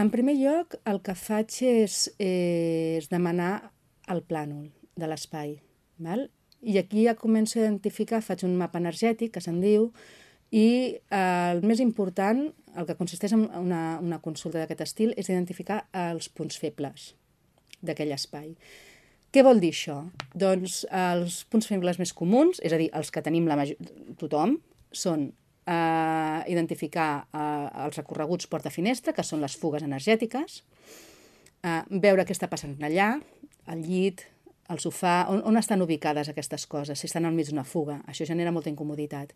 En primer lloc, el que faig és demanar el plànol de l'espai. I aquí ja començo a identificar, faig un mapa energètic, que se'n diu, i el més important, el que consisteix en una consulta d'aquest estil, és identificar els punts febles d'aquell espai. Què vol dir això? Doncs els punts febles més comuns, és a dir, els que tenim tothom, són identificar els recorreguts porta-finestra, que són les fugues energètiques, veure què està passant allà, el llit, el sofà, on estan ubicades aquestes coses, si estan al mig d'una fuga. Això genera molta incomoditat.